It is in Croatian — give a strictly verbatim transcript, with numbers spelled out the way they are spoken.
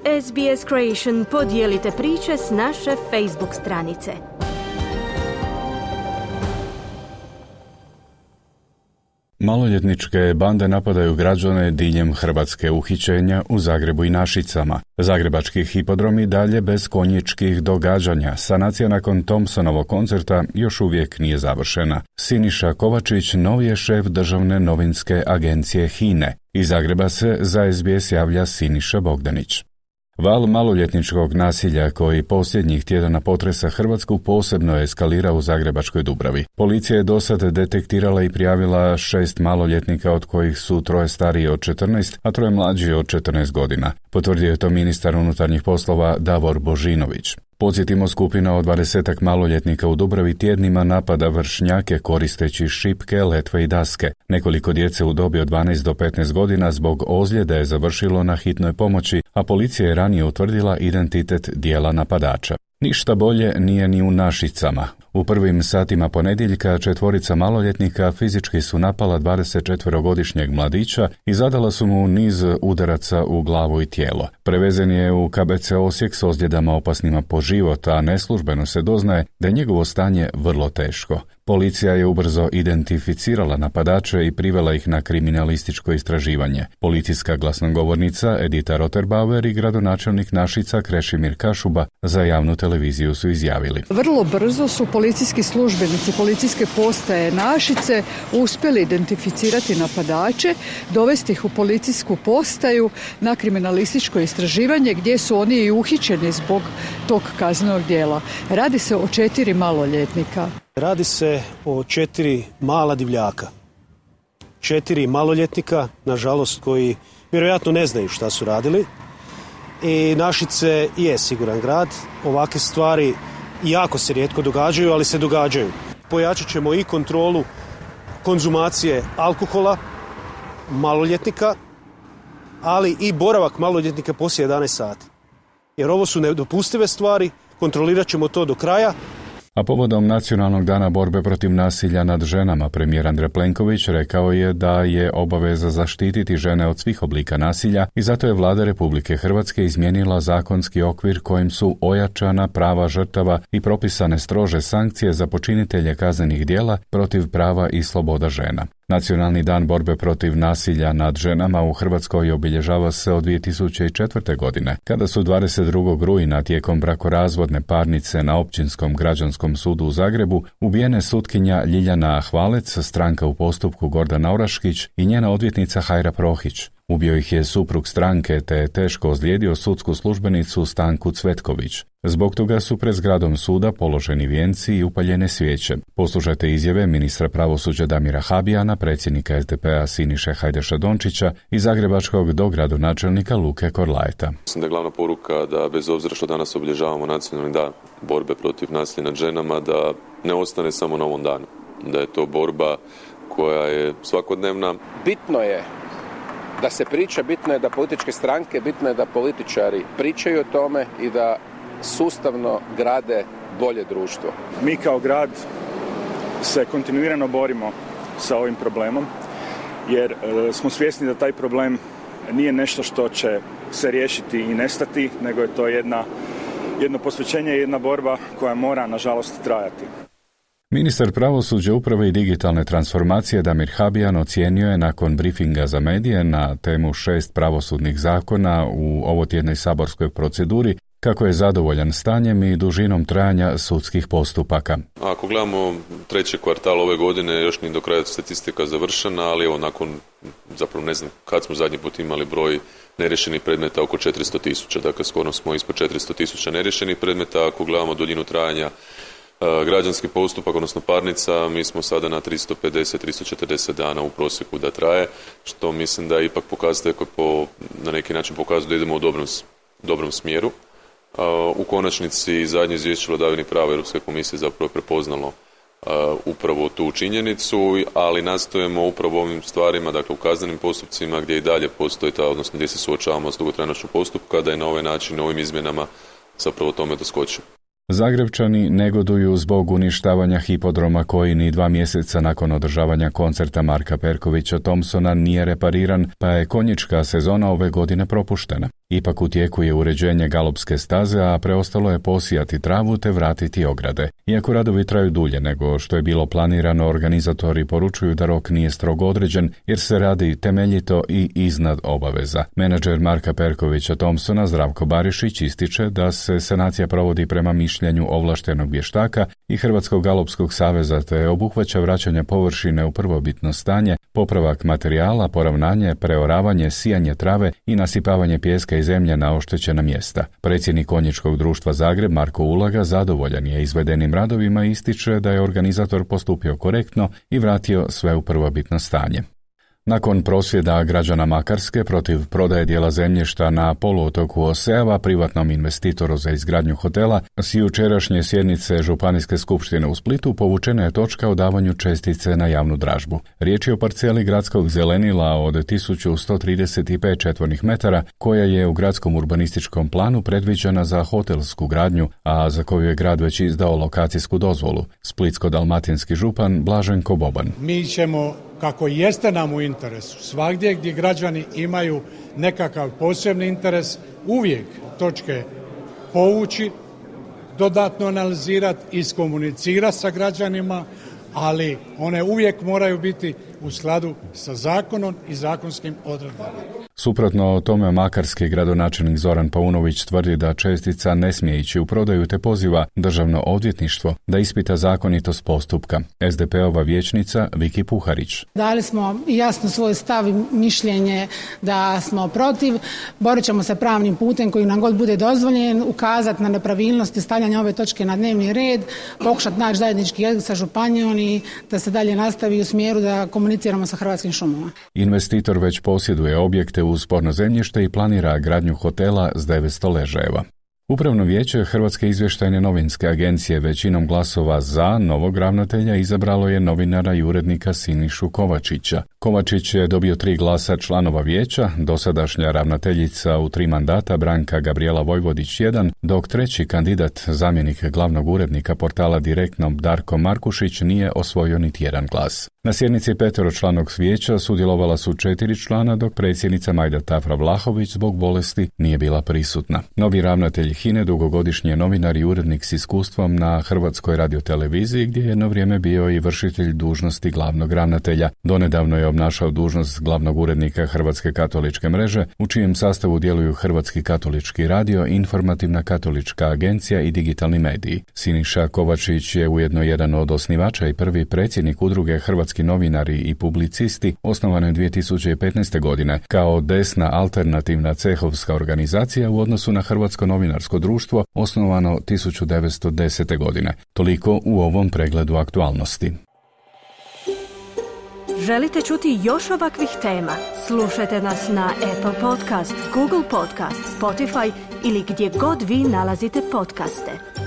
S B S Creation podijelite priče s naše Facebook stranice. Maloljetničke bande napadaju građane diljem Hrvatske, uhićenja u Zagrebu i Našicama. Zagrebački hipodromi dalje bez konjičkih događanja. Sanacija nakon Thompsonovog koncerta još uvijek nije završena. Siniša Kovačić novi je šef državne novinske agencije H I N E. Iz Zagreba se za S B S javlja Siniša Bogdanić. Val maloljetničkog nasilja koji posljednjih tjedana potresa Hrvatsku posebno je eskalirao u Zagrebačkoj Dubravi. Policija je dosad detektirala i prijavila šest maloljetnika, od kojih su troje stariji od četrnaest, a troje mlađi od četrnaest godina. Potvrdio je to ministar unutarnjih poslova Davor Božinović. Podsjetimo, skupina od dvadesetak maloljetnika u Dubravi tjednima napada vršnjake koristeći šipke, letve i daske. Nekoliko djece u dobi od dvanaest do petnaest godina zbog ozljede je završilo na hitnoj pomoći, a policija je ranije utvrdila identitet dijela napadača. Ništa bolje nije ni u Našicama. U prvim satima ponedjeljka četvorica maloljetnika fizički su napala dvadesetčetverogodišnjeg mladića i zadala su mu niz udaraca u glavu i tijelo. Prevezen je u K B C Osijek s ozljedama opasnima po život, a neslužbeno se doznaje da je njegovo stanje vrlo teško. Policija je ubrzo identificirala napadače i privela ih na kriminalističko istraživanje. Policijska glasnogovornica Edita Roterbauer i gradonačelnik Našica Krešimir Kašuba za javnu televiziju su izjavili: Vrlo brzo su policijski službenici policijske postaje Našice uspjeli identificirati napadače, dovesti ih u policijsku postaju na kriminalističko istraživanje gdje su oni i uhićeni zbog tog kaznenog djela. Radi se o četiri maloljetnika. Radi se o četiri mala divljaka. Četiri maloljetnika, nažalost, koji vjerojatno ne znaju šta su radili. I Našice je siguran grad. Ovakve stvari jako se rijetko događaju, ali se događaju. Pojačat ćemo i kontrolu konzumacije alkohola maloljetnika, ali i boravak maloljetnika poslije jedanaest sati. Jer ovo su nedopustive stvari, kontrolirat ćemo to do kraja. A povodom Nacionalnog dana borbe protiv nasilja nad ženama, premijer Andrej Plenković rekao je da je obaveza zaštititi žene od svih oblika nasilja i zato je Vlada Republike Hrvatske izmijenila zakonski okvir kojim su ojačana prava žrtava i propisane strože sankcije za počinitelje kaznenih djela protiv prava i sloboda žena. Nacionalni dan borbe protiv nasilja nad ženama u Hrvatskoj obilježava se od dvije tisuće četvrte. godine, kada su dvadeset drugog rujna tijekom brakorazvodne parnice na Općinskom građanskom sudu u Zagrebu ubijene sutkinja Ljiljana Hvalec, stranka u postupku Gordana Oraškić i njena odvjetnica Hajra Prohić. Ubio ih je suprug stranke te je teško ozlijedio sudsku službenicu Stanku Cvetković. Zbog toga su pred zgradom suda položeni vijenci i upaljene svijeće. Poslušajte izjave ministra pravosuđa Damira Habijana, predsjednika S D P-a Siniše Hajdaša Dončića i zagrebačkog dogradonačelnika Luke Korlajeta. Mislim da je glavna poruka da bez obzira što danas obilježavamo nacionalni dan borbe protiv nasilja nad ženama, da ne ostane samo na ovom danu. Da je to borba koja je svakodnevna. Bitno je da se priča, bitno je da političke stranke, bitno je da političari pričaju o tome i da sustavno grade bolje društvo. Mi kao grad se kontinuirano borimo sa ovim problemom jer e, smo svjesni da taj problem nije nešto što će se riješiti i nestati, nego je to jedna, jedno posvećenje i jedna borba koja mora, nažalost, trajati. Ministar pravosuđa, uprave i digitalne transformacije Damir Habijan ocijenio je nakon briefinga za medije na temu šest pravosudnih zakona u ovotjednoj saborskoj proceduri kako je zadovoljan stanjem i dužinom trajanja sudskih postupaka. Ako gledamo treći kvartal ove godine, još ni do kraja statistika završena, ali evo nakon, zapravo ne znam kad smo zadnji put imali broj neriješenih predmeta oko četiristo tisuća, dakle skoro smo ispod četiristo tisuća neriješenih predmeta. Ako gledamo duljinu trajanja građanski postupak, odnosno parnica, mi smo sada na tristo pedeset do tristo četrdeset dana u prosjeku da traje, što mislim da ipak pokazuje koji po, na neki način pokazuje da idemo u dobrom, dobrom smjeru. U konačnici zadnje izvješće o vladavini prava Europske komisije zapravo je prepoznalo upravo tu činjenicu, ali nastojimo upravo ovim stvarima, dakle u kaznenim postupcima gdje i dalje postoji ta, odnosno gdje se suočavamo s dugotrajnošću postupka, da je na ovaj način, ovim izmjenama zapravo tome doskočimo. Zagrebčani negoduju zbog uništavanja hipodroma koji ni dva mjeseca nakon održavanja koncerta Marka Perkovića Thompsona nije repariran, pa je konjička sezona ove godine propuštena. Ipak u tijeku je uređenje galopske staze, a preostalo je posijati travu te vratiti ograde. Iako radovi traju dulje nego što je bilo planirano, organizatori poručuju da rok nije strogo određen jer se radi temeljito i iznad obaveza. Menadžer Marka Perkovića Thompsona Zdravko Barišić ističe da se sanacija provodi prema mišljenju ovlaštenog vještaka i Hrvatskog galopskog saveza te obuhvaća vraćanje površine u prvobitno stanje, popravak materijala, poravnanje, preoravanje, sijanje trave i nasipavanje pijeska i zemlje na oštećena mjesta. Predsjednik Konjičkog društva Zagreb Marko Ulaga zadovoljan je izvedenim radovima i ističe da je organizator postupio korektno i vratio sve u prvobitno stanje. Nakon prosvjeda građana Makarske protiv prodaje dijela zemljišta na poluotoku Oseava privatnom investitoru za izgradnju hotela, s jučerašnje sjednice Županijske skupštine u Splitu povučena je točka o davanju čestice na javnu dražbu. Riječ je o parceli gradskog zelenila od tisuću sto trideset pet četvornih metara koja je u gradskom urbanističkom planu predviđena za hotelsku gradnju, a za koju je grad već izdao lokacijsku dozvolu. Splitsko-dalmatinski župan Blaženko Boban. Mi ćemo, kako jeste nam u interesu, svagdje gdje građani imaju nekakav posebni interes, uvijek točke povući, dodatno analizirati, iskomunicirati sa građanima, ali one uvijek moraju biti u skladu sa zakonom i zakonskim odredbama. Suprotno tome, makarski gradonačelnik Zoran Paunović tvrdi da čestica ne smije ići u prodaju te poziva Državno odvjetništvo da ispita zakonitost postupka. es de pe ova vijećnica Viki Puharić. Dali smo jasno svoj stav i mišljenje da smo protiv, borit ćemo se pravnim putem koji nam god bude dozvoljen, ukazati na nepravilnosti stavljanja ove točke na dnevni red, pokušati naći zajednički jezik sa županijom i da se dalje nastavi u smjeru da komuniciramo sa Hrvatskim šumama. Investitor već posjeduje objekte uz sporno zemljište i planira gradnju hotela s devetsto ležajeva. Upravno vijeće Hrvatske izvještajne novinske agencije većinom glasova za novog ravnatelja izabralo je novinara i urednika Sinišu Kovačića. Kovačić je dobio tri glasa članova vijeća, dosadašnja ravnateljica u tri mandata Branka Gabrijela Vojvodić jedan, dok treći kandidat, zamjenik glavnog urednika portala Direktno Darko Markušić nije osvojio niti jedan glas. Na sjednici peteročlanog vijeća sudjelovala su četiri člana, dok predsjednica Majda Tafra Vlahović zbog bolesti nije bila prisutna. Novi ravnatelj H I N E dugogodišnji je novinar i urednik s iskustvom na Hrvatskoj radioteleviziji, gdje je jedno vrijeme bio i vršitelj dužnosti glavnog ravnatelja. Donedavno je obnašao dužnost glavnog urednika Hrvatske katoličke mreže, u čijem sastavu djeluju Hrvatski katolički radio, Informativna katolička agencija i digitalni mediji. Siniša Kovačić je ujedno jedan od osnivača i prvi predsjednik udruge Hrvatski novinari i publicisti, osnovane dvije tisuće petnaeste. godine kao desna alternativna cehovska organizacija u odnosu na Hrvatsko novinarsko društvo, osnovano tisuću devetsto desete. godine. Toliko u ovom pregledu aktualnosti. Želite čuti još ovakvih tema? Slušajte nas na Apple Podcast, Google Podcast, Spotify ili gdje god vi nalazite podcaste.